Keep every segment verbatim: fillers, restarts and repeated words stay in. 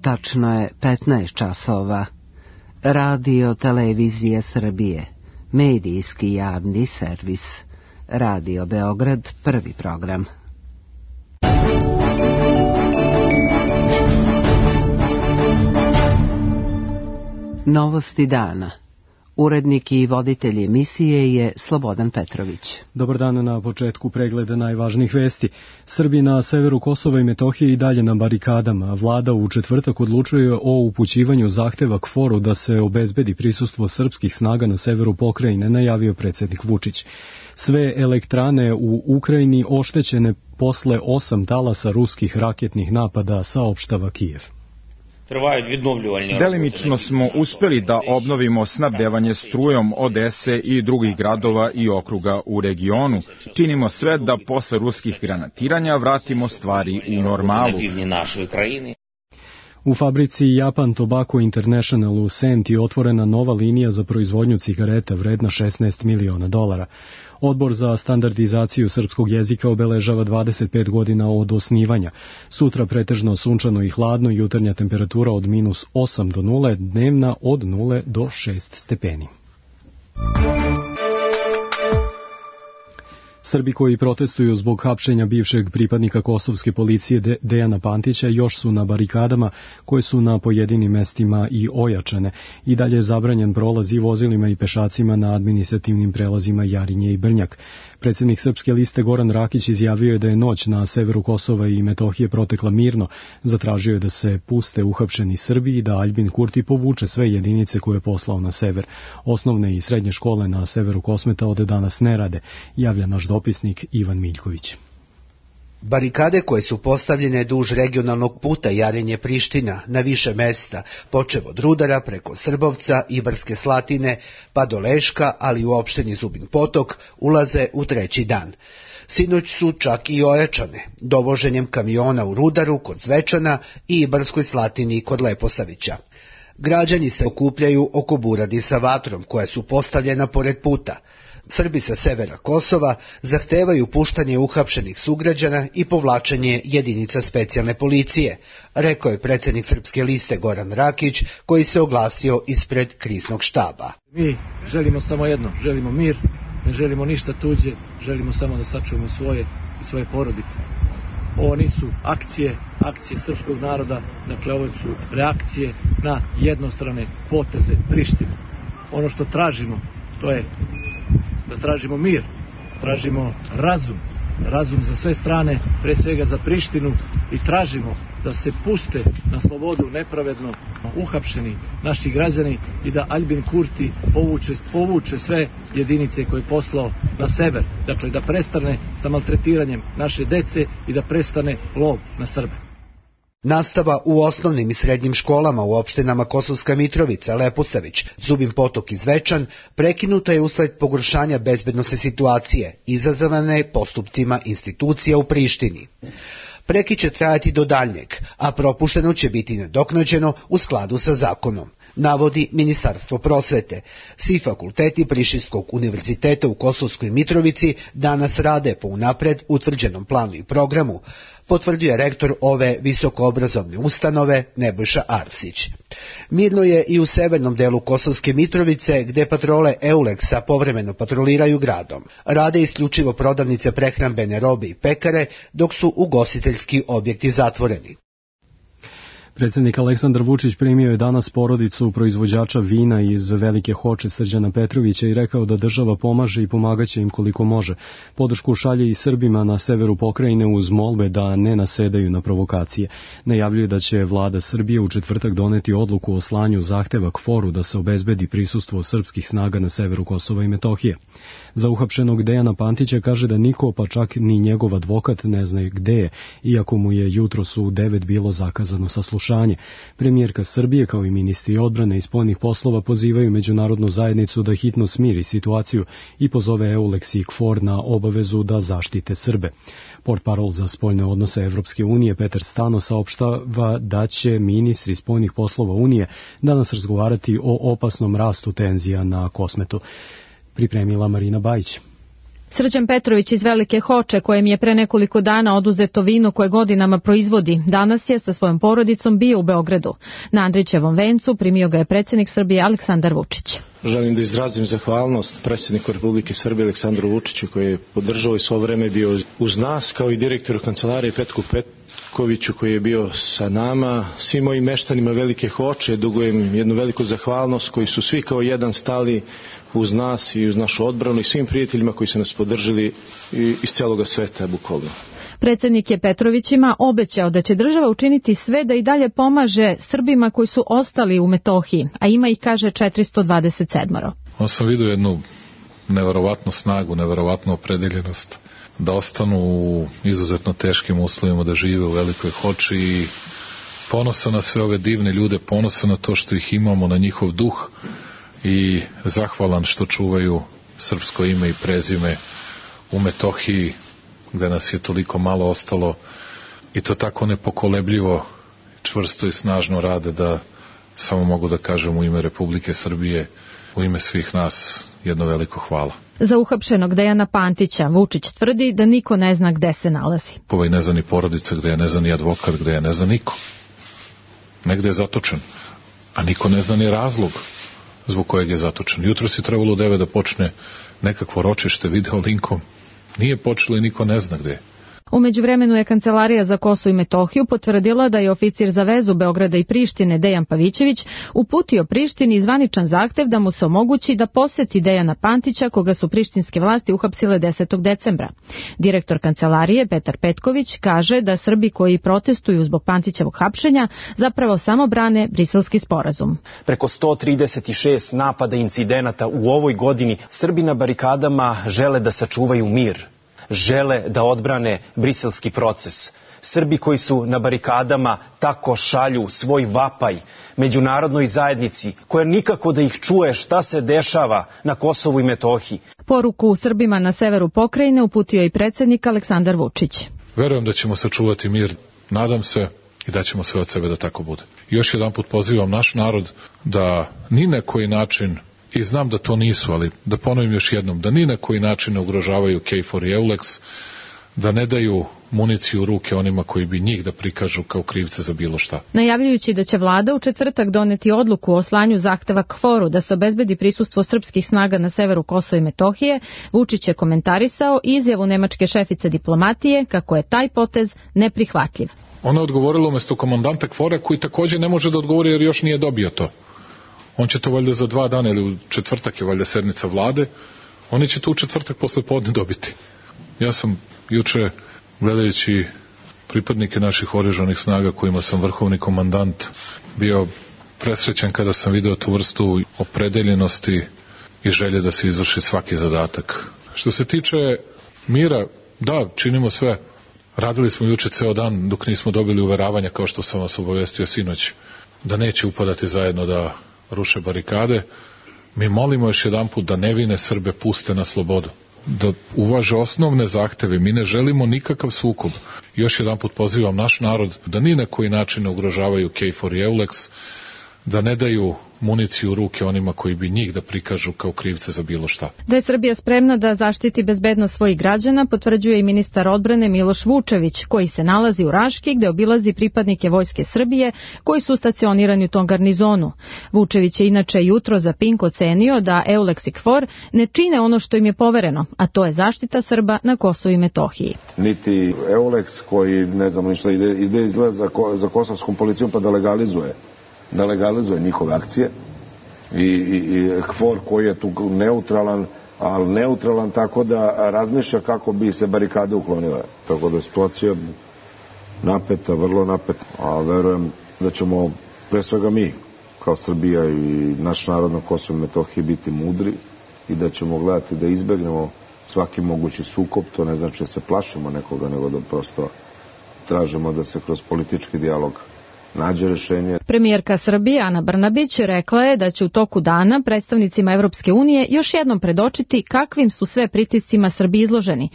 Tačno je petnaest časova. Radio Televizije Srbije, medijski javni servis. Radio Beograd, prvi program. Novosti dana. Urednik i voditelj emisije je Slobodan Petrović. Dobar dan, na početku pregleda najvažnijih vesti. Srbi na severu Kosova i Metohije i dalje na barikadama. Vlada u četvrtak odlučuje o upućivanju zahteva K F O R-u da se obezbedi prisustvo srpskih snaga na severu pokrajine, najavio predsjednik Vučić. Sve elektrane u Ukrajini oštećene posle osam talasa ruskih raketnih napada, saopštava Kijev. Delimično smo uspjeli da obnovimo snabdevanje strujom Odese i drugih gradova i okruga u regionu. Činimo sve da posle ruskih granatiranja vratimo stvari u normalu. U fabrici Japan Tobacco International u Senti otvorena nova linija za proizvodnju cigareta vredna šesnaest miliona dolara. Odbor za standardizaciju srpskog jezika obeležava dvadeset pet godina od osnivanja. Sutra pretežno sunčano i hladno, jutarnja temperatura od minus osam do nule, dnevna od nule do šest stepeni. Srbi koji protestuju zbog hapšenja bivšeg pripadnika kosovske policije De- Dejana Pantića još su na barikadama koje su na pojedinim mestima i ojačane. I dalje je zabranjen prolaz i vozilima i pešacima na administrativnim prelazima Jarinje i Brnjak. Predsjednik Srpske liste Goran Rakić izjavio je da je noć na severu Kosova i Metohije protekla mirno. Zatražio je da se puste uhapšeni Srbi i da Aljbin Kurti povuče sve jedinice koje je poslao na sever. Osnovne i srednje škole na severu Kosmeta od danas ne rade, javlja naš dopisnik Ivan Miljković. Barikade koje su postavljene duž regionalnog puta Jarinje-Priština na više mesta, počev od Rudara preko Srbovca, Ibarske Slatine pa do Leška, ali u opštini Zubin Potok, ulaze u treći dan. Sinoć su čak i ojačane, dovoženjem kamiona u Rudaru kod Zvečana i Ibarskoj Slatini kod Leposavića. Građani se okupljaju oko buradi sa vatrom koja su postavljena pored puta. Srbi sa severa Kosova zahtevaju puštanje uhapšenih sugrađana i povlačenje jedinica specijalne policije, rekao je predsjednik Srpske liste Goran Rakić, koji se oglasio ispred kriznog štaba. Mi želimo samo jedno, želimo mir, ne želimo ništa tuđe, želimo samo da sačuvamo svoje i svoje porodice. Ovo nisu akcije, akcije srpskog naroda, dakle ovo su reakcije na jednostrane poteze Prištine. Ono što tražimo, to je da tražimo mir, tražimo razum, razum za sve strane, pre svega za Prištinu, i tražimo da se puste na slobodu nepravedno uhapšeni naši građani i da Aljbin Kurti povuče, povuče sve jedinice koje je poslao na sever, dakle da prestane sa maltretiranjem naše dece i da prestane lov na Srbe. Nastava u osnovnim i srednjim školama u opštinama Kosovska Mitrovica, Leposavić, Zubin Potok i Zvečan prekinuta je usled pogoršanja bezbednosne situacije, izazvane postupcima institucija u Prištini. Prekid će trajati do daljnjeg, a propušteno će biti nadoknađeno u skladu sa zakonom, navodi Ministarstvo prosvete. Svi fakulteti Prištinskog univerziteta u Kosovskoj Mitrovici danas rade po unapred utvrđenom planu i programu, potvrdio je rektor ove visokoobrazovne ustanove Nebojša Arsić. Mirno je i u severnom delu Kosovske Mitrovice, gde patrole Euleksa povremeno patroliraju gradom. Rade isključivo prodavnice prehrambene robe i pekare, dok su ugostiteljski objekti zatvoreni. Predsjednik Aleksandar Vučić primio je danas porodicu proizvođača vina iz Velike Hoče Srđana Petrovića i rekao da država pomaže i pomagaće im koliko može. Podršku šalje i Srbima na severu pokrajine uz molbe da ne nasedaju na provokacije. Najavljuje da će vlada Srbije u četvrtak doneti odluku o slanju zahteva K F O R-u da se obezbedi prisustvo srpskih snaga na severu Kosova i Metohije. Za uhapšenog Dejana Pantića kaže da niko, pa čak ni njegov advokat, ne zna gde je, iako mu je jutros u devet bilo zakazano saslušanje. Premijerka Srbije kao i ministri odbrane i spoljnih poslova pozivaju međunarodnu zajednicu da hitno smiri situaciju i pozove Euleks i K F O R na obavezu da zaštite Srbe. Portparol za spoljne odnose Evropske unije Petar Stano saopštava da će ministri spoljnih poslova Unije danas razgovarati o opasnom rastu tenzija na Kosmetu. Pripremila Marina Bajić. Srđan Petrović iz Velike Hoče, kojem je pre nekoliko dana oduzeto vino koje godinama proizvodi, danas je sa svojom porodicom bio u Beogradu. Na Andrićevom vencu primio ga je predsjednik Srbije Aleksandar Vučić. Želim da izrazim zahvalnost predsjedniku Republike Srbije Aleksandru Vučiću, koji je podržao i svo vreme bio uz nas, kao i direktoru kancelarije Petku Petkoviću, koji je bio sa nama. Svim mojim meštanima Velike Hoče dugujem jednu veliku zahvalnost, koji su svi kao jedan stali uz nas i uz našu odbranu, i svim prijateljima koji su nas podržali iz cijeloga sveta, bukvalno. Predsjednik je Petrovićima obećao da će država učiniti sve da i dalje pomaže Srbima koji su ostali u Metohiji, a ima ih, kaže, četiristo dvadeset sedam. On sam vidio jednu neverovatnu snagu, neverovatnu opredeljenost da ostanu u izuzetno teškim uslovima, da žive u Velikoj Hoči, i ponosan na sve ove divne ljude, ponosan na to što ih imamo, na njihov duh, i zahvalan što čuvaju srpsko ime i prezime u Metohiji, gde nas je toliko malo ostalo, i to tako nepokolebljivo, čvrsto i snažno rade, da samo mogu da kažem u ime Republike Srbije, u ime svih nas, jedno veliko hvala. Za uhapšenog Dejana Pantića Vučić tvrdi da niko ne zna gde se nalazi. Ovaj ne zna ni porodica gde je, ne zna ni advokat gde je, ne zna niko. Negde je zatočen, a niko ne zna ni razlog zbog kojeg je zatočen. Jutro si trebalo u devet da počne nekakvo ročište video linkom. Nije počelo i niko ne zna gde je. U međuvremenu je Kancelarija za Kosovo i Metohiju potvrdila da je oficir za vezu Beograda i Prištine Dejan Pavićević uputio Prištini zvaničan zahtev da mu se omogući da poseti Dejana Pantića, koga su prištinske vlasti uhapsile desetog decembra. Direktor Kancelarije Petar Petković kaže da Srbi koji protestuju zbog Pantićevog hapšenja zapravo samo brane Briselski sporazum. Preko sto trideset šest napada i incidenata u ovoj godini Srbi na barikadama žele da sačuvaju mir. Žele da odbrane briselski proces. Srbi koji su na barikadama tako šalju svoj vapaj međunarodnoj zajednici, koja nikako da ih čuje šta se dešava na Kosovu i Metohiji. Poruku Srbima na severu pokrajine uputio i predsjednik Aleksandar Vučić. Verujem da ćemo sačuvati mir, nadam se, i da ćemo sve od sebe da tako bude. Još jedan put pozivam naš narod da ni na koji način, i znam da to nisu, ali da ponovim još jednom, da ni na koji način ne ugrožavaju K F O R i EULEX, da ne daju municiju u ruke onima koji bi njih da prikažu kao krivce za bilo šta. Najavljujući da će vlada u četvrtak doneti odluku o slanju zahteva K F O R-u da se obezbedi prisustvo srpskih snaga na severu Kosova i Metohije, Vučić je komentarisao izjavu nemačke šefice diplomatije kako je taj potez neprihvatljiv. Ona je odgovorila umesto komandanta K F O R-a, koji također ne može da odgovori jer još nije dobio to. On će to valjda za dva dana, ili u četvrtak je valjda sednica vlade, oni će to u četvrtak posle podne dobiti. Ja sam juče, gledajući pripadnike naših oružanih snaga kojima sam vrhovni komandant, bio presrećen kada sam video tu vrstu opredeljenosti i želje da se izvrši svaki zadatak. Što se tiče mira, da, činimo sve. Radili smo juče ceo dan dok nismo dobili uveravanja, kao što sam vas obavestio sinoć, da neće upadati zajedno da ruše barikade. Mi molimo još jedan put da nevine Srbe puste na slobodu, da uvaže osnovne zahteve. Mi ne želimo nikakav sukob. Još jedan put pozivam naš narod da ni na koji način ne ugrožavaju K F O R i EULEX, da ne daju municiju u ruke onima koji bi njih da prikažu kao krivce za bilo šta. Da je Srbija spremna da zaštiti bezbednost svojih građana, potvrđuje i ministar odbrane Miloš Vučević, koji se nalazi u Raški, gde obilazi pripadnike Vojske Srbije koji su stacionirani u tom garnizonu. Vučević je inače jutro za Pink ocenio da EULEX i K F O R ne čine ono što im je povereno, a to je zaštita Srba na Kosovu i Metohiji. Niti EULEX, koji ne znam ništa, ide, ide izgleda za, ko, za kosovskom policijom pa da legalizuje da legalizuje njihove akcije, i, i, i K F O R koji je tu neutralan, ali neutralan tako da razmišlja kako bi se barikade uklonile. Tako da je situacija napeta, vrlo napeta, a verujem da ćemo pre svega mi kao Srbija i naš narod na Kosovu i Metohiji biti mudri i da ćemo gledati da izbegnemo svaki mogući sukob. To ne znači da se plašimo nekoga, nego da prosto tražimo da se kroz politički dijalog nađe rešenje. Premijerka Srbije Ana Brnabić rekla je da će u toku dana predstavnicima Evropske unije još jednom predočiti kakvim su sve pritiscima Srbiji izloženi.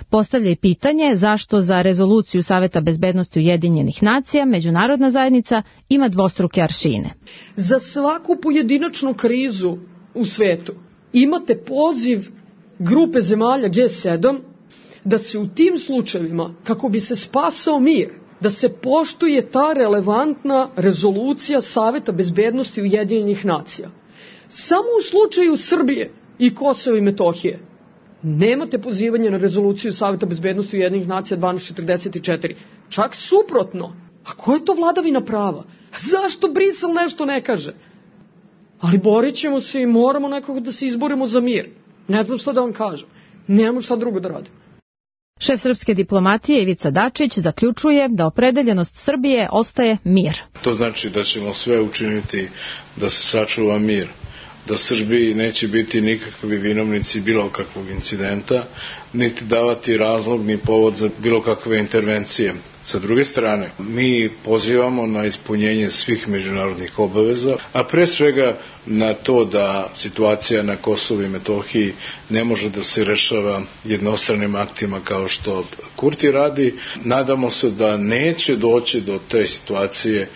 Postavlja i pitanje zašto za rezoluciju Saveta bezbednosti Ujedinjenih nacija međunarodna zajednica ima dvostruke aršine. Za svaku pojedinačnu krizu u svetu imate poziv grupe zemalja G sedam da se u tim slučajevima, kako bi se spasao mir, da se poštuje ta relevantna rezolucija Saveta bezbednosti Ujedinjenih nacija. Samo u slučaju Srbije i Kosova i Metohije nemate pozivanje na rezoluciju Saveta bezbednosti Ujedinjenih nacija dvanaest četrdeset četiri. Čak suprotno. A ko je to vladavina prava? Zašto Brisel nešto ne kaže? Ali borit ćemo se i moramo nekako da se izborimo za mir. Ne znam šta da vam kažem. Nemamo šta drugo da radim. Šef srpske diplomatije Ivica Dačić zaključuje da opredeljenost Srbije ostaje mir. To znači da ćemo sve učiniti da se sačuva mir, da Srbiji neće biti nikakvi vinovnici bilo kakvog incidenta, niti davati razlog ni povod za bilo kakve intervencije. Sa druge strane, mi pozivamo na ispunjenje svih međunarodnih obaveza, a pre svega na to da situacija na Kosovu i Metohiji ne može da se rešava jednostranim aktima kao što Kurti radi. Nadamo se da neće doći do te situacije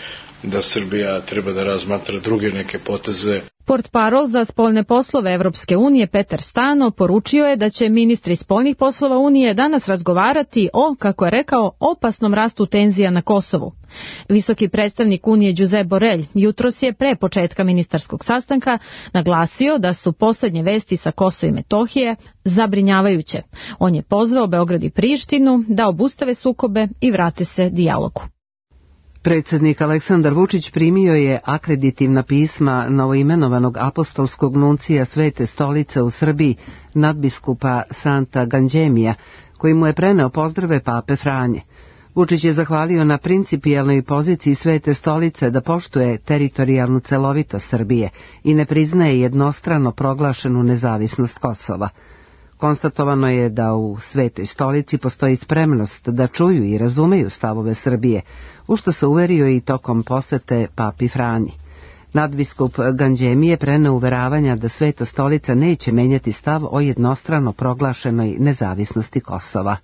da Srbija treba da razmatra druge neke poteze. Portparol za spoljne poslove Evropske unije Petar Stano poručio je da će ministri spoljnih poslova Unije danas razgovarati o, kako je rekao, opasnom rastu tenzija na Kosovu. Visoki predstavnik Unije Josep Borrell jutros je pre početka ministarskog sastanka naglasio da su poslednje vesti sa Kosova i Metohije zabrinjavajuće. On je pozvao Beograd i Prištinu da obustave sukobe i vrate se dijalogu. Predsjednik Aleksandar Vučić primio je akreditivna pisma novoimenovanog apostolskog nuncija Svete stolice u Srbiji, nadbiskupa Santa Ganđemija, koji mu je preneo pozdrave pape Franje. Vučić je zahvalio na principijelnoj poziciji Svete stolice da poštuje teritorijalnu celovitost Srbije i ne priznaje jednostrano proglašenu nezavisnost Kosova. Konstatovano je da u Svetoj stolici postoji spremnost da čuju i razumeju stavove Srbije, u što se uverio i tokom posete papi Franji. Nadbiskup Ganđemije preneo uveravanja da Sveta stolica neće menjati stav o jednostrano proglašenoj nezavisnosti Kosova.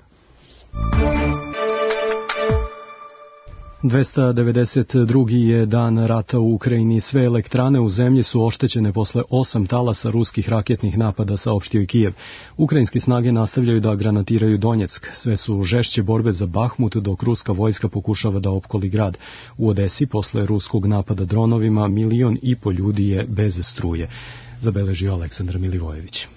dvesta devedeset drugi je dan rata u Ukrajini. Sve elektrane u zemlji su oštećene posle osam talasa ruskih raketnih napada, saopštio je Kijev. Ukrajinske snage nastavljaju da granatiraju Donjeck. Sve su žešće borbe za Bahmut, dok ruska vojska pokušava da opkoli grad. U Odesi posle ruskog napada dronovima milion i po ljudi je bez struje, zabeležio Aleksandar Milivojević.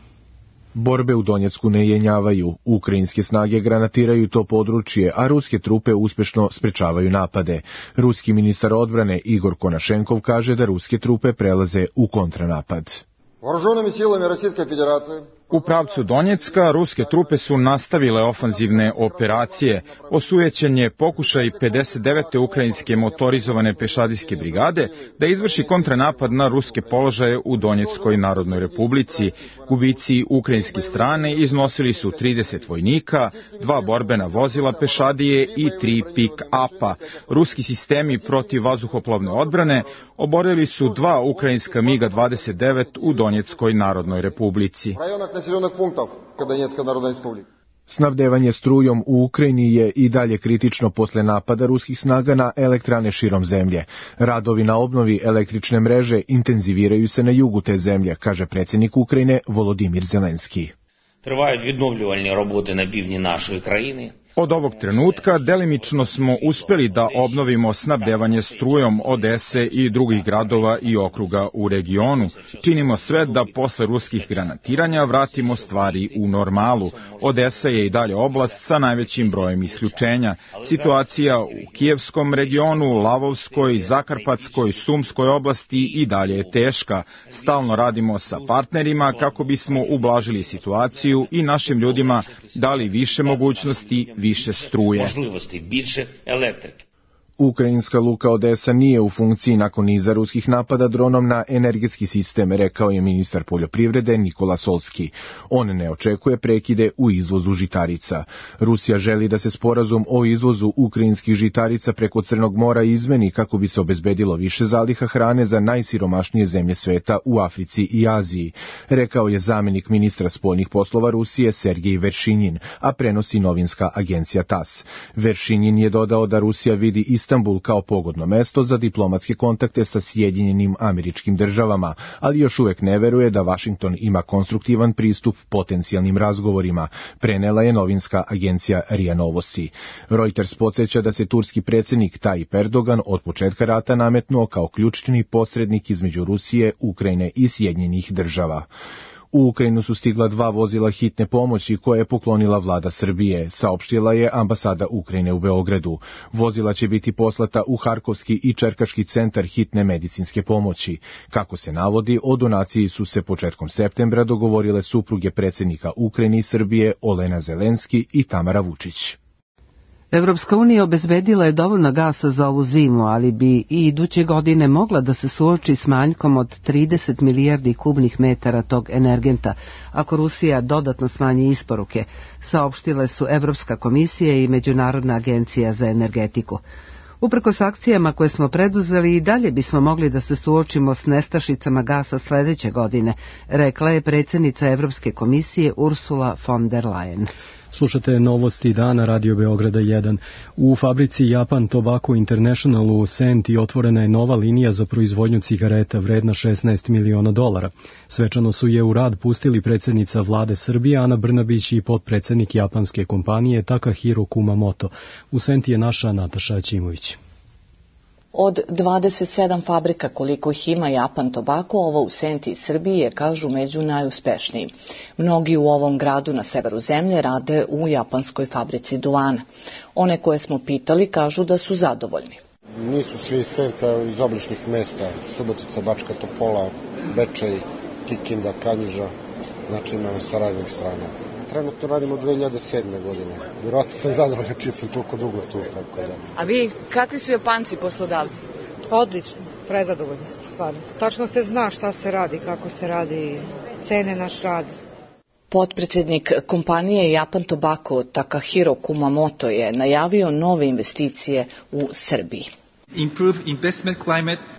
Borbe u Donjecku ne jenjavaju, ukrajinske snage granatiraju to područje, a ruske trupe uspešno sprečavaju napade. Ruski ministar odbrane Igor Konašenkov kaže da ruske trupe prelaze u kontranapad. U pravcu Donjecka ruske trupe su nastavile ofanzivne operacije. Osujećen je pokušaj pedeset devete ukrajinske motorizovane pešadijske brigade da izvrši kontranapad na ruske položaje u Donjeckoj narodnoj republici. Gubici ukrajinske strane iznosili su trideset vojnika, dva borbena vozila pešadije i tri pik-apa. Ruski sistemi protivvazduhoplovne odbrane oborili su dva ukrajinska miga dvadeset devet u Donjeckoj narodnoj republici. Snabdevanje strujom u Ukrajini je i dalje kritično posle napada ruskih snaga na elektrane širom zemlje. Radovi na obnovi električne mreže intenziviraju se na jugu te zemlje, kaže predsjednik Ukrajine Volodimir Zelenski. Тривають відновлювальні роботи на півдні нашої країни. Od ovog trenutka delimično smo uspeli da obnovimo snabdevanje strujom Odese i drugih gradova i okruga u regionu. Činimo sve da posle ruskih granatiranja vratimo stvari u normalu. Odesa je i dalje oblast sa najvećim brojem isključenja. Situacija u Kijevskom regionu, Lavovskoj, Zakarpatskoj, Sumskoj oblasti i dalje je teška. Stalno radimo sa partnerima kako bismo ublažili situaciju i našim ljudima dali više mogućnosti, više struje. Ukrajinska luka Odesa nije u funkciji nakon niza ruskih napada dronom na energetski sistem, rekao je ministar poljoprivrede Nikola Solski. On ne očekuje prekide u izvozu žitarica. Rusija želi da se sporazum o izvozu ukrajinskih žitarica preko Crnog mora izmeni kako bi se obezbedilo više zaliha hrane za najsiromašnije zemlje sveta u Africi i Aziji, rekao je zamenik ministra spoljnih poslova Rusije Sergej Veršinjin, a prenosi novinska agencija tas. Veršinjin je dodao da Rusija vidi Istanbul kao pogodno mesto za diplomatske kontakte sa Sjedinjenim Američkim Državama, ali još uvek ne veruje da Vašington ima konstruktivan pristup potencijalnim razgovorima, prenela je novinska agencija R I A Novosti. Reuters podsjeća da se turski predsjednik Tayyip Erdogan od početka rata nametnuo kao ključni posrednik između Rusije, Ukrajine i Sjedinjenih Država. U Ukrajinu su stigla dva vozila hitne pomoći koje je poklonila vlada Srbije, saopštila je ambasada Ukrajine u Beogradu. Vozila će biti poslata u Harkovski i Čerkaški centar hitne medicinske pomoći. Kako se navodi, o donaciji su se početkom septembra dogovorile supruge predsjednika Ukrajine i Srbije Olena Zelenski i Tamara Vučić. Evropska unija obezbedila je dovoljno gasa za ovu zimu, ali bi i iduće godine mogla da se suoči s manjkom od trideset milijardi kubnih metara tog energenta, ako Rusija dodatno smanji isporuke, saopštile su Evropska komisija i Međunarodna agencija za energetiku. Uprkos akcijama koje smo preduzeli, i dalje bismo mogli da se suočimo s nestašicama gasa sledeće godine, rekla je predsjednica Evropske komisije Ursula von der Leyen. Slušate novosti dana Radio Beograda jedan. U fabrici Japan Tobacco International u Senti otvorena je nova linija za proizvodnju cigareta vredna šesnaest miliona dolara. Svečano su je u rad pustili predsjednica vlade Srbije Ana Brnabić i potpredsjednik japanske kompanije Takahiro Kumamoto. U Senti je naša Nataša Ćimović. Od dvadeset sedam fabrika koliko ih ima Japan Tobacco, ovo u Senti i Srbiji je, kažu, među najuspešnijim. Mnogi u ovom gradu na severu zemlje rade u japanskoj fabrici duvana. One koje smo pitali kažu da su zadovoljni. Nisu svi iz Senta, iz obližnjih mesta, Subotica, Bačka Topola, Bečej, Kikinda, Kanjiža, znači imamo sa raznih strana. Trenutno radimo dve hiljade sedme. godine. Vjerojatno sam zadovoljan čiji sam toliko dugo tu. Tako da. A vi, kakvi su Japanci poslodavci? Odlično, prezadovoljni smo stvarno. Tačno se zna šta se radi, kako se radi, cene naš rad. Potpredsjednik kompanije Japan Tobacco Takahiro Kumamoto je najavio nove investicije u Srbiji.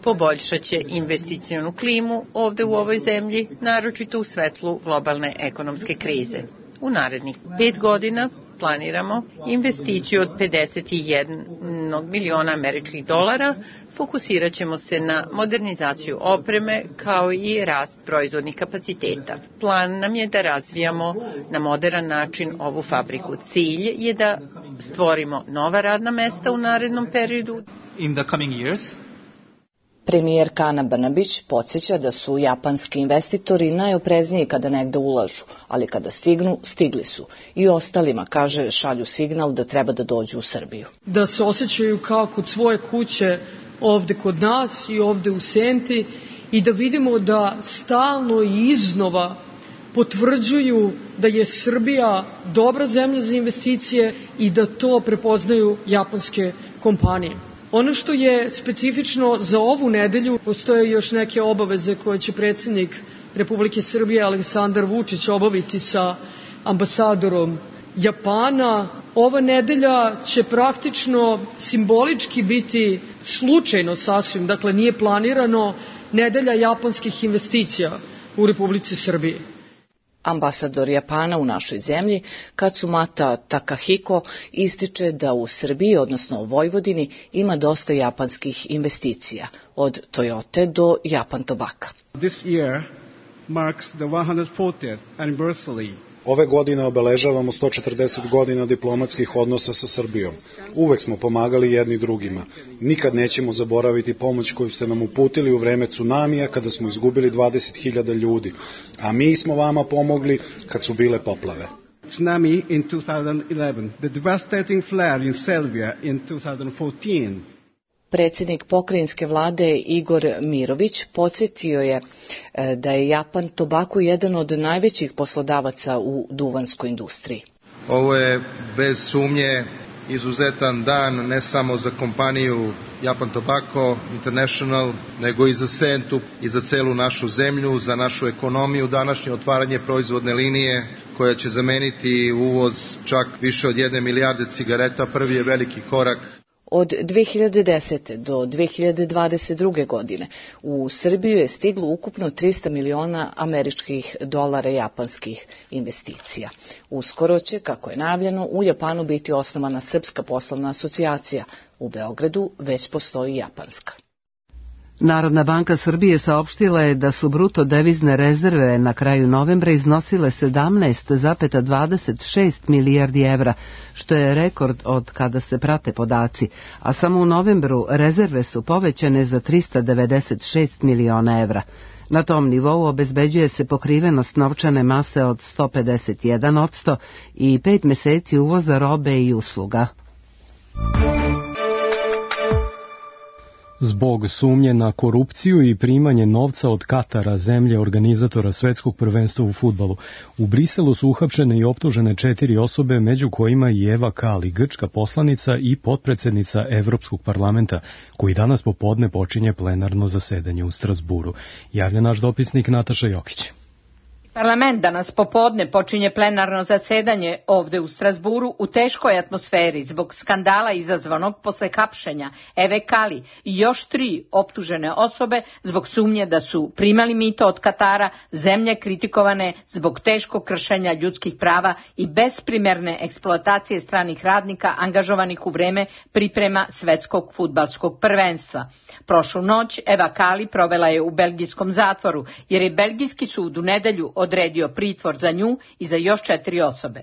Poboljšat će investicionu klimu ovde u ovoj zemlji, naročito u svetlu globalne ekonomske krize. U narednih pet godina planiramo investiciju od pedeset jedan miliona američkih dolara, fokusirat ćemo se na modernizaciju opreme kao i rast proizvodnih kapaciteta. Plan nam je da razvijamo na moderan način ovu fabriku. Cilj je da stvorimo nova radna mesta u narednom periodu. In the coming years. Premijerka Ana Brnabić podsjeća da su japanski investitori najoprezniji kada negde ulažu, ali kada stignu, stigli su. I ostalima, kaže, šalju signal da treba da dođu u Srbiju. Da se osjećaju kao kod svoje kuće ovde kod nas i ovde u Senti i da vidimo da stalno i iznova potvrđuju da je Srbija dobra zemlja za investicije i da to prepoznaju japanske kompanije. Ono što je specifično za ovu nedelju, postoje još neke obaveze koje će predsjednik Republike Srbije Aleksandar Vučić obaviti sa ambasadorom Japana. Ova nedelja će praktično simbolički biti slučajno sasvim, dakle nije planirano, nedelja japanskih investicija u Republici Srbiji. Ambasador Japana u našoj zemlji, Katsumata Takahiko, ističe da u Srbiji, odnosno u Vojvodini, ima dosta japanskih investicija, od Toyote do Japan Tobacco. This year marks the one hundred fortieth anniversary. Ove godine obeležavamo sto četrdeset godina diplomatskih odnosa sa Srbijom. Uvek smo pomagali jedni drugima. Nikad nećemo zaboraviti pomoć koju ste nam uputili u vreme tsunamija kada smo izgubili dvadeset hiljada ljudi. A mi smo vama pomogli kad su bile poplave. Tsunami in two thousand eleven, the devastating flare in Serbia in two thousand fourteen. Predsjednik pokrajinske vlade Igor Mirović podsjetio je da je Japan Tobacco jedan od najvećih poslodavaca u duvanskoj industriji. Ovo je bez sumnje izuzetan dan ne samo za kompaniju Japan Tobacco International, nego i za Sentu i za celu našu zemlju, za našu ekonomiju. Današnje otvaranje proizvodne linije koja će zameniti uvoz čak više od jedne milijarde cigareta, prvi je veliki korak. Od dve hiljade desete. do dve hiljade dvadeset druge. godine u Srbiju je stiglo ukupno trista miliona američkih dolara japanskih investicija. Uskoro će, kako je najavljeno, u Japanu biti osnovana Srpska poslovna asocijacija. U Beogradu već postoji japanska. Narodna banka Srbije saopštila je da su bruto devizne rezerve na kraju novembra iznosile sedamnaest zarez dvadeset šest milijardi evra, što je rekord od kada se prate podaci, a samo u novembru rezerve su povećane za trista devedeset šest miliona evra. Na tom nivou obezbeđuje se pokrivenost novčane mase od sto pedeset jedan posto i pet meseci uvoza robe i usluga. Zbog sumnje na korupciju i primanje novca od Katara, zemlje organizatora svetskog prvenstva u fudbalu, u Briselu su uhapšene i optužene četiri osobe, među kojima i Eva Kali, grčka poslanica i potpredsednica Evropskog parlamenta, koji danas popodne počinje plenarno zasedanje u Strazburu. Javlja naš dopisnik Nataša Jokić. Parlament danas popodne počinje plenarno zasedanje ovde u Strazburu u teškoj atmosferi zbog skandala izazvanog posle hapšenja Eve Kali i još tri optužene osobe zbog sumnje da su primali mito od Katara, zemlje kritikovane zbog teškog kršenja ljudskih prava i besprimerne eksploatacije stranih radnika angažovanih u vreme priprema svetskog fudbalskog prvenstva. Prošlu noć Eva Kali provela je u belgijskom zatvoru, jer je belgijski sud u nedelju odredio pritvor za nju i za još četiri osobe.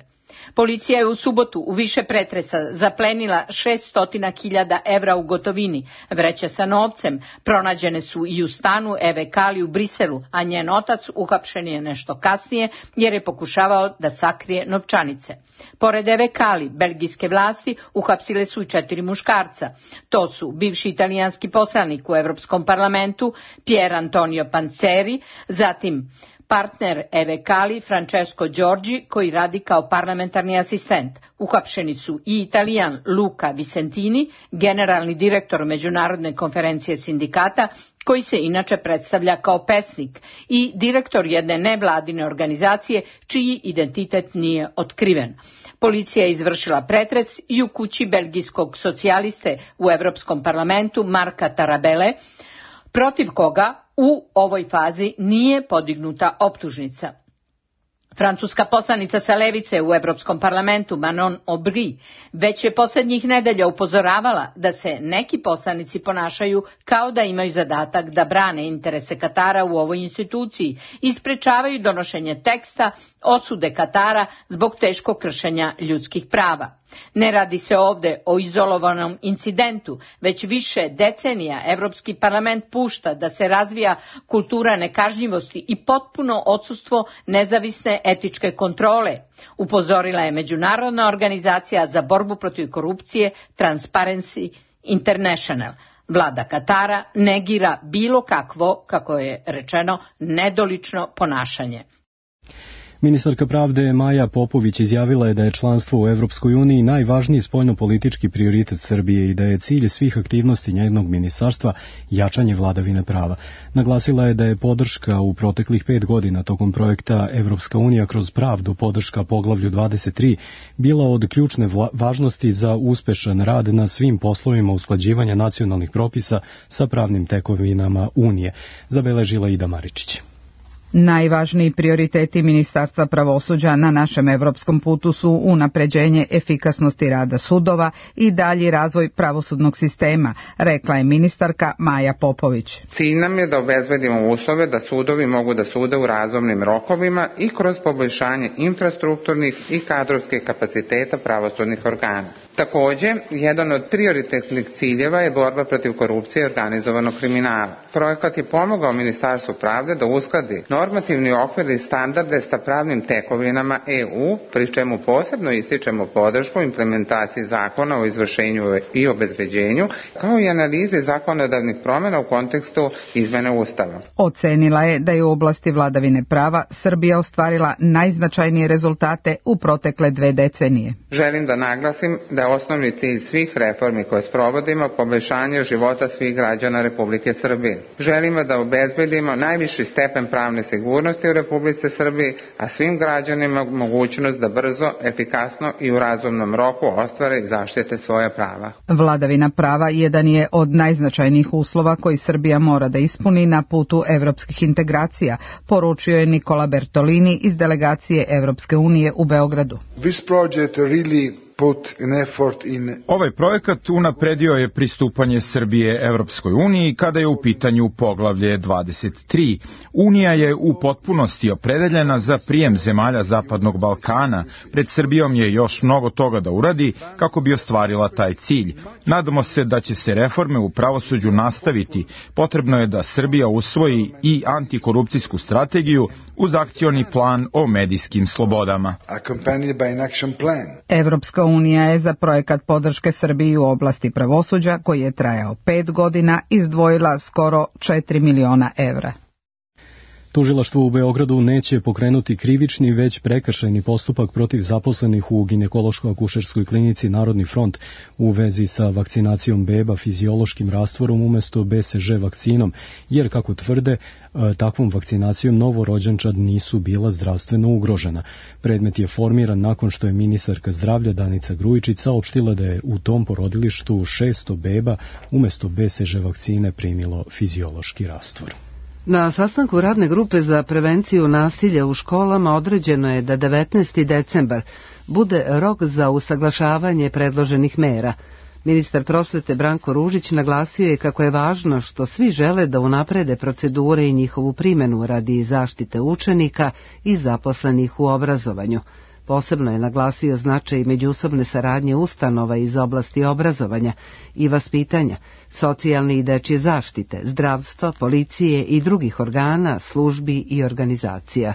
Policija je u subotu u više pretresa zaplenila šesto hiljada evra u gotovini. Vreće sa novcem pronađene su i u stanu Eve Kali u Briselu, a njen otac uhapšen je nešto kasnije jer je pokušavao da sakrije novčanice. Pored Eve Kali, belgijske vlasti uhapsile su i četiri muškarca. To su bivši italijanski poslanik u Evropskom parlamentu Pier Antonio Panceri, zatim partner Eve Kali, Francesco Giorgi, koji radi kao parlamentarni asistent. Uhapšeni su i Italijan Luca Vicentini, generalni direktor Međunarodne konferencije sindikata, koji se inače predstavlja kao pesnik, i direktor jedne nevladine organizacije čiji identitet nije otkriven. Policija je izvršila pretres i u kući belgijskog socijaliste u Evropskom parlamentu Marka Tarabele, protiv koga u ovoj fazi nije podignuta optužnica. Francuska poslanica sa levice u Evropskom parlamentu Manon Aubry već je posljednjih nedelja upozoravala da se neki poslanici ponašaju kao da imaju zadatak da brane interese Katara u ovoj instituciji i sprečavaju donošenje teksta osude Katara zbog teškog kršenja ljudskih prava. Ne radi se ovde o izolovanom incidentu, već više decenija Evropski parlament pušta da se razvija kultura nekažnjivosti i potpuno odsustvo nezavisne etičke kontrole, upozorila je Međunarodna organizacija za borbu protiv korupcije Transparency International. Vlada Katara negira bilo kakvo, kako je rečeno, nedolično ponašanje. Ministarka pravde Maja Popović izjavila je da je članstvo u Evropskoj uniji najvažniji spoljnopolitički prioritet Srbije i da je cilj svih aktivnosti njenog ministarstva jačanje vladavine prava. Naglasila je da je podrška u proteklih pet godina tokom projekta Evropska unija kroz pravdu, podrška poglavlju dvadeset tri, bila od ključne važnosti za uspešan rad na svim poslovima usklađivanja nacionalnih propisa sa pravnim tekovinama Unije, zabeležila Ida Maričić. Najvažniji prioriteti Ministarstva pravosuđa na našem evropskom putu su unapređenje efikasnosti rada sudova i dalji razvoj pravosudnog sistema, rekla je ministarka Maja Popović. Cilj nam je da obezbedimo uslove da sudovi mogu da sude u razumnim rokovima i kroz poboljšanje infrastrukturnih i kadrovskih kapaciteta pravosudnih organa. Takođe, jedan od prioritetnih ciljeva je borba protiv korupcije i organizovanog kriminala. Projekat je pomogao Ministarstvu pravde da uskladi normativni okvir i standarde sa pravnim tekovinama E U, pri čemu posebno ističemo podršku implementaciji zakona o izvršenju i obezbeđenju, kao i analize zakonodavnih promjena u kontekstu izmene Ustava. Ocenila je da je u oblasti vladavine prava Srbija ostvarila najznačajnije rezultate u protekle dve decenije. Želim da naglasim da je osnovni cilj svih reformi koje sprovodimo poboljšanje života svih građana Republike Srbije. Želimo da obezbedimo najviši stepen pravne sigurnosti u Republici Srbiji, a svim građanima mogućnost da brzo, efikasno i u razumnom roku ostvare i zaštite svoja prava. Vladavina prava jedan je od najznačajnijih uslova koji Srbija mora da ispuni na putu evropskih integracija, poručio je Nikola Bertolini iz delegacije Evropske unije u Beogradu. This project really put an effort in... Ovaj projekat unapredio je pristupanje Srbije Evropskoj uniji kada je u pitanju poglavlje dvadeset tri. Unija je u potpunosti opredeljena za prijem zemalja Zapadnog Balkana. Pred Srbijom je još mnogo toga da uradi kako bi ostvarila taj cilj. Nadamo se da će se reforme u pravosuđu nastaviti. Potrebno je da Srbija usvoji i antikorupcijsku strategiju uz akcioni plan o medijskim slobodama. Accompanied by an action plan. Evropska unija je za projekat podrške Srbiji u oblasti pravosuđa, koji je trajao pet godina, izdvojila skoro četiri miliona evra. Tužilaštvo u Beogradu neće pokrenuti krivični, već prekršajni postupak protiv zaposlenih u ginekološko-akušerskoj klinici Narodni front u vezi sa vakcinacijom beba fiziološkim rastvorom umesto B C G vakcinom, jer, kako tvrde, takvom vakcinacijom novorođenčad nisu bila zdravstveno ugrožena. Predmet je formiran nakon što je ministarka zdravlja Danica Grujičić saopštila da je u tom porodilištu šesto beba umesto B C G vakcine primilo fiziološki rastvor. Na sastanku radne grupe za prevenciju nasilja u školama određeno je da devetnaesti decembar bude rok za usaglašavanje predloženih mera. Ministar prosvete Branko Ružić naglasio je kako je važno što svi žele da unaprede procedure i njihovu primjenu radi zaštite učenika i zaposlenih u obrazovanju. Posebno je naglasio značaj međusobne saradnje ustanova iz oblasti obrazovanja i vaspitanja, socijalne i dečje zaštite, zdravstva, policije i drugih organa, službi i organizacija.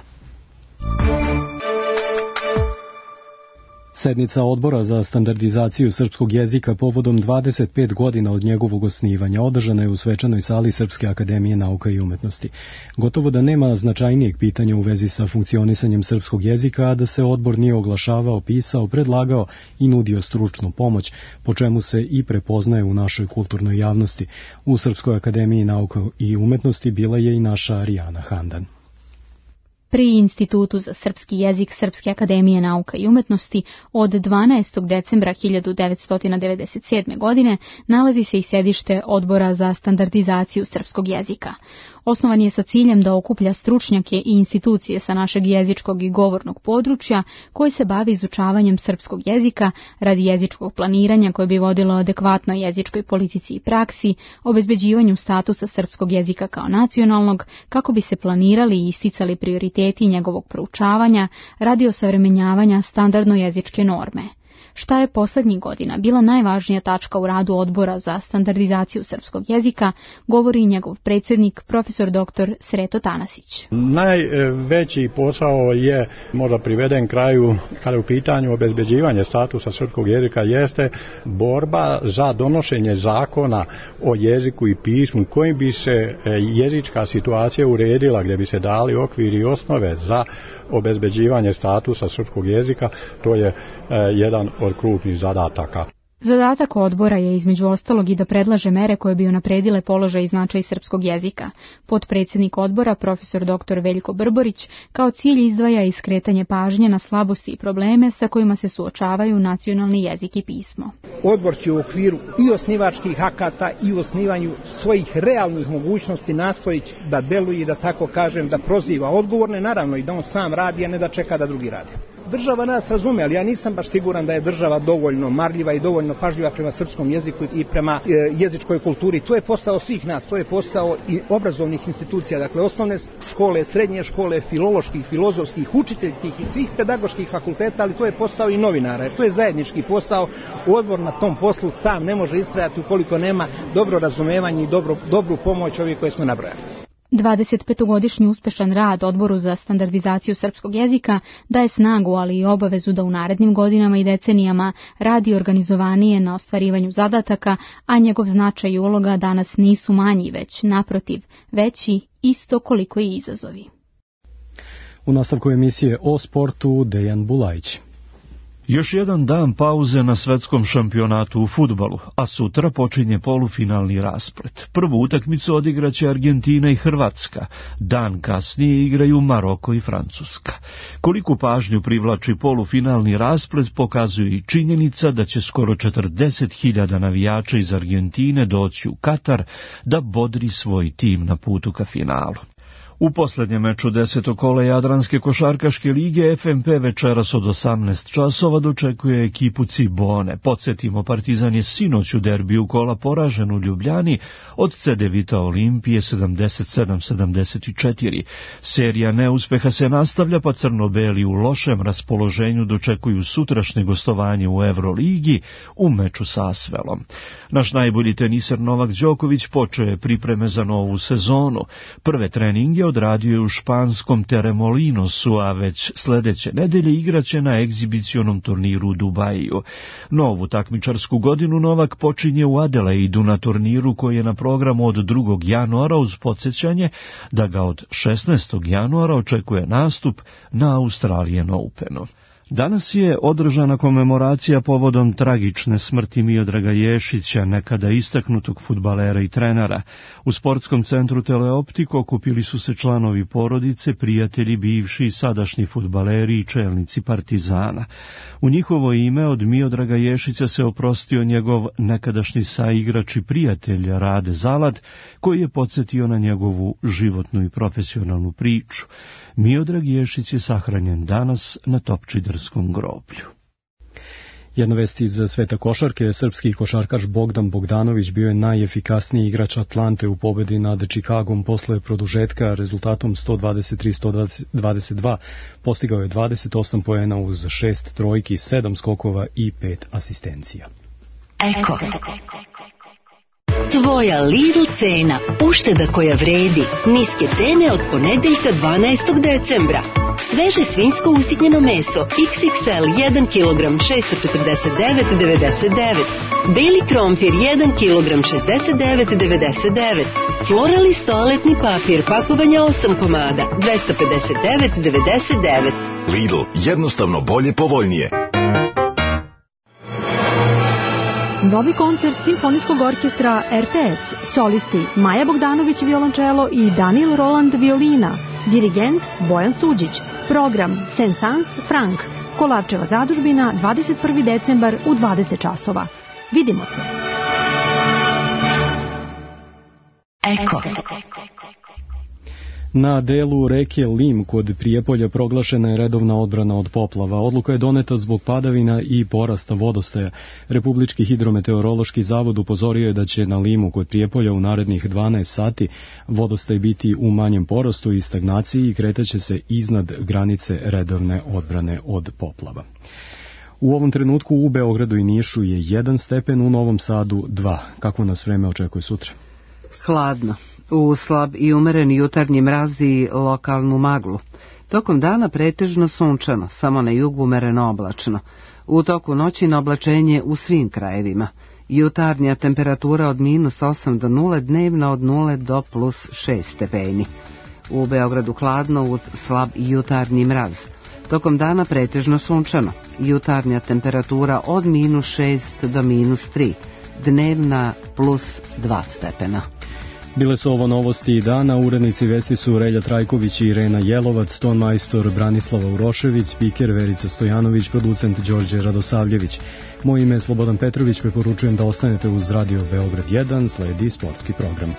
Sednica Odbora za standardizaciju srpskog jezika povodom dvadeset pet godina od njegovog osnivanja održana je u svečanoj sali Srpske akademije nauka i umetnosti. Gotovo da nema značajnijeg pitanja u vezi sa funkcionisanjem srpskog jezika, a da se odbor nije oglašavao, pisao, predlagao i nudio stručnu pomoć, po čemu se i prepoznaje u našoj kulturnoj javnosti. U Srpskoj akademiji nauka i umetnosti bila je i naša Arijana Handan. Pri Institutu za srpski jezik Srpske akademije nauka i umetnosti od dvanaestog decembra hiljadu devetsto devedeset sedme. godine nalazi se i sedište Odbora za standardizaciju srpskog jezika. Osnovan je sa ciljem da okuplja stručnjake i institucije sa našeg jezičkog i govornog područja koji se bavi izučavanjem srpskog jezika radi jezičkog planiranja koje bi vodilo adekvatnoj jezičkoj politici i praksi, obezbeđivanju statusa srpskog jezika kao nacionalnog, kako bi se planirali i isticali prioriteti njegovog proučavanja radi osavremenjavanja standardno jezičke norme. Šta je poslednjih godina bila najvažnija tačka u radu Odbora za standardizaciju srpskog jezika, govori njegov predsjednik, profesor doktor Sreto Tanasić. Najveći posao je možda priveden kraju kada je u pitanju obezbeđivanje statusa srpskog jezika jeste borba za donošenje zakona o jeziku i pismu kojim bi se jezička situacija uredila, gdje bi se dali okviri i osnove za obezbeđivanje statusa srpskog jezika. To je jedan od krupnih zadataka. Zadatak odbora je između ostalog i da predlaže mere koje bi unapredile položaj i značaj srpskog jezika. Potpredsjednik odbora, profesor doktor Veljko Brborić, kao cilj izdvaja i skretanje pažnje na slabosti i probleme sa kojima se suočavaju nacionalni jezik i pismo. Odbor će u okviru i osnivačkih akata i u osnivanju svojih realnih mogućnosti nastojići da deluje, da tako kažem, da proziva odgovorne, naravno i da on sam radi, a ne da čeka da drugi radi. Država nas razume, ali ja nisam baš siguran da je država dovoljno marljiva i dovoljno pažljiva prema srpskom jeziku i prema e, jezičkoj kulturi. To je posao svih nas, to je posao i obrazovnih institucija, dakle osnovne škole, srednje škole, filoloških, filozofskih, učiteljskih i svih pedagoških fakulteta, ali to je posao i novinara, jer to je zajednički posao. Odbor na tom poslu sam ne može istrajati ukoliko nema dobro razumevanje i dobro, dobru pomoć ovih koje smo nabrojali. dvadesetpetogodišnji uspešan rad Odboru za standardizaciju srpskog jezika daje snagu, ali i obavezu da u narednim godinama i decenijama radi organizovanije na ostvarivanju zadataka, a njegov značaj i uloga danas nisu manji, već naprotiv, veći isto koliko i izazovi. U nastavku emisije o sportu Dejan Bulajić. Još jedan dan pauze na svetskom šampionatu u fudbalu, a sutra počinje polufinalni rasplet. Prvu utakmicu odigraće Argentina i Hrvatska, dan kasnije igraju Maroko i Francuska. Koliku pažnju privlači polufinalni rasplet pokazuje i činjenica da će skoro četrdeset hiljada navijača iz Argentine doći u Katar da bodri svoj tim na putu ka finalu. U posljednjem meču desetog kola Jadranske košarkaške lige F M P večeras od osamnaest časova dočekuje ekipu Cibone. Podsjetimo, Partizan je sinoć u derbiju kola poražen u Ljubljani od Cedevita Olimpije sedamdeset sedam sedamdeset četiri. Serija neuspeha se nastavlja, pa crno-beli u lošem raspoloženju dočekuju sutrašnje gostovanje u Euroligi u meču sa Asvelom. Naš najbolji teniser Novak Đoković počeo je pripreme za novu sezonu. Prve treninge odradio je u španskom Teremolinosu, a već sljedeće nedelje igraće na egzibicionom turniru u Dubaju. Novu takmičarsku godinu Novak počinje u Adelaidu na turniru koji je na programu od drugog januara uz podsjećanje da ga od šesnaestog januara očekuje nastup na Australian Openu. Danas je održana komemoracija povodom tragične smrti Miodraga Ješića, nekada istaknutog fudbalera i trenera. U sportskom centru Teleoptik okupili su se članovi porodice, prijatelji, bivši i sadašnji fudbaleri i čelnici Partizana. U njihovo ime od Miodraga Ješića se oprostio njegov nekadašnji saigrač i prijatelj Rade Zalad, koji je podsjetio na njegovu životnu i profesionalnu priču. Miodrag Ješić je sahranjen danas na Topčiderskom groblju. Jedna vest iz sveta košarke, srpski košarkaš Bogdan Bogdanović bio je najefikasniji igrač Atlante u pobedi nad Čikagom posle produžetka rezultatom sto dvadeset tri sto dvadeset dva. Postigao je dvadeset osam poena uz šest trojki, sedam skokova i pet asistencija. Eko. Tvoja Lidl cena, ušteda koja vredi, niske cene od ponedeljka dvanaestog decembra. Sveže svinjsko usitnjeno meso iks iks el jedan kilogram šessto četrdeset devet devedeset devet, beli krompir jedan kilogram šezdeset devet devedeset devet, Floralis toaletni papir pakovanja osam komada dvesta pedeset devet devedeset devet. Lidl, jednostavno bolje, povoljnije. Novi koncert Simfonijskog orkestra er te es, solisti Maja Bogdanović violončelo i Daniel Roland violina, dirigent Bojan Suđić, program Saint-Saëns Frank, Kolarčeva zadužbina, dvadeset prvi decembar u dvadeset časova. Vidimo se. Eko. Na delu reke Lim kod Prijepolja proglašena je redovna odbrana od poplava. Odluka je doneta zbog padavina i porasta vodostaja. Republički hidrometeorološki zavod upozorio je da će na Limu kod Prijepolja u narednih dvanaest sati vodostaj biti u manjem porastu i stagnaciji i kretaće se iznad granice redovne odbrane od poplava. U ovom trenutku u Beogradu i Nišu je jedan stepen, u Novom Sadu dva. Kako nas vreme očekuje sutra? Hladno. U slab i umeren jutarnji mraz i lokalnu maglu. Tokom dana pretežno sunčano, samo na jugu umereno oblačno. U toku noći na oblačenje u svim krajevima. Jutarnja temperatura od minus osam do nule, dnevna od nule do plus šest stepeni. U Beogradu hladno uz slab i jutarnji mraz. Tokom dana pretežno sunčano. Jutarnja temperatura od minus šest do minus tri, dnevna plus dva stepena. Bile su ovo novosti dana, urednici vesti su Relja Trajković i Irena Jelovac, tonmajstor Branislava Urošević, spiker Verica Stojanović, producent Đorđe Radosavljević. Moje ime je Slobodan Petrović, preporučujem da ostanete uz Radio Beograd jedan, sledi sportski program.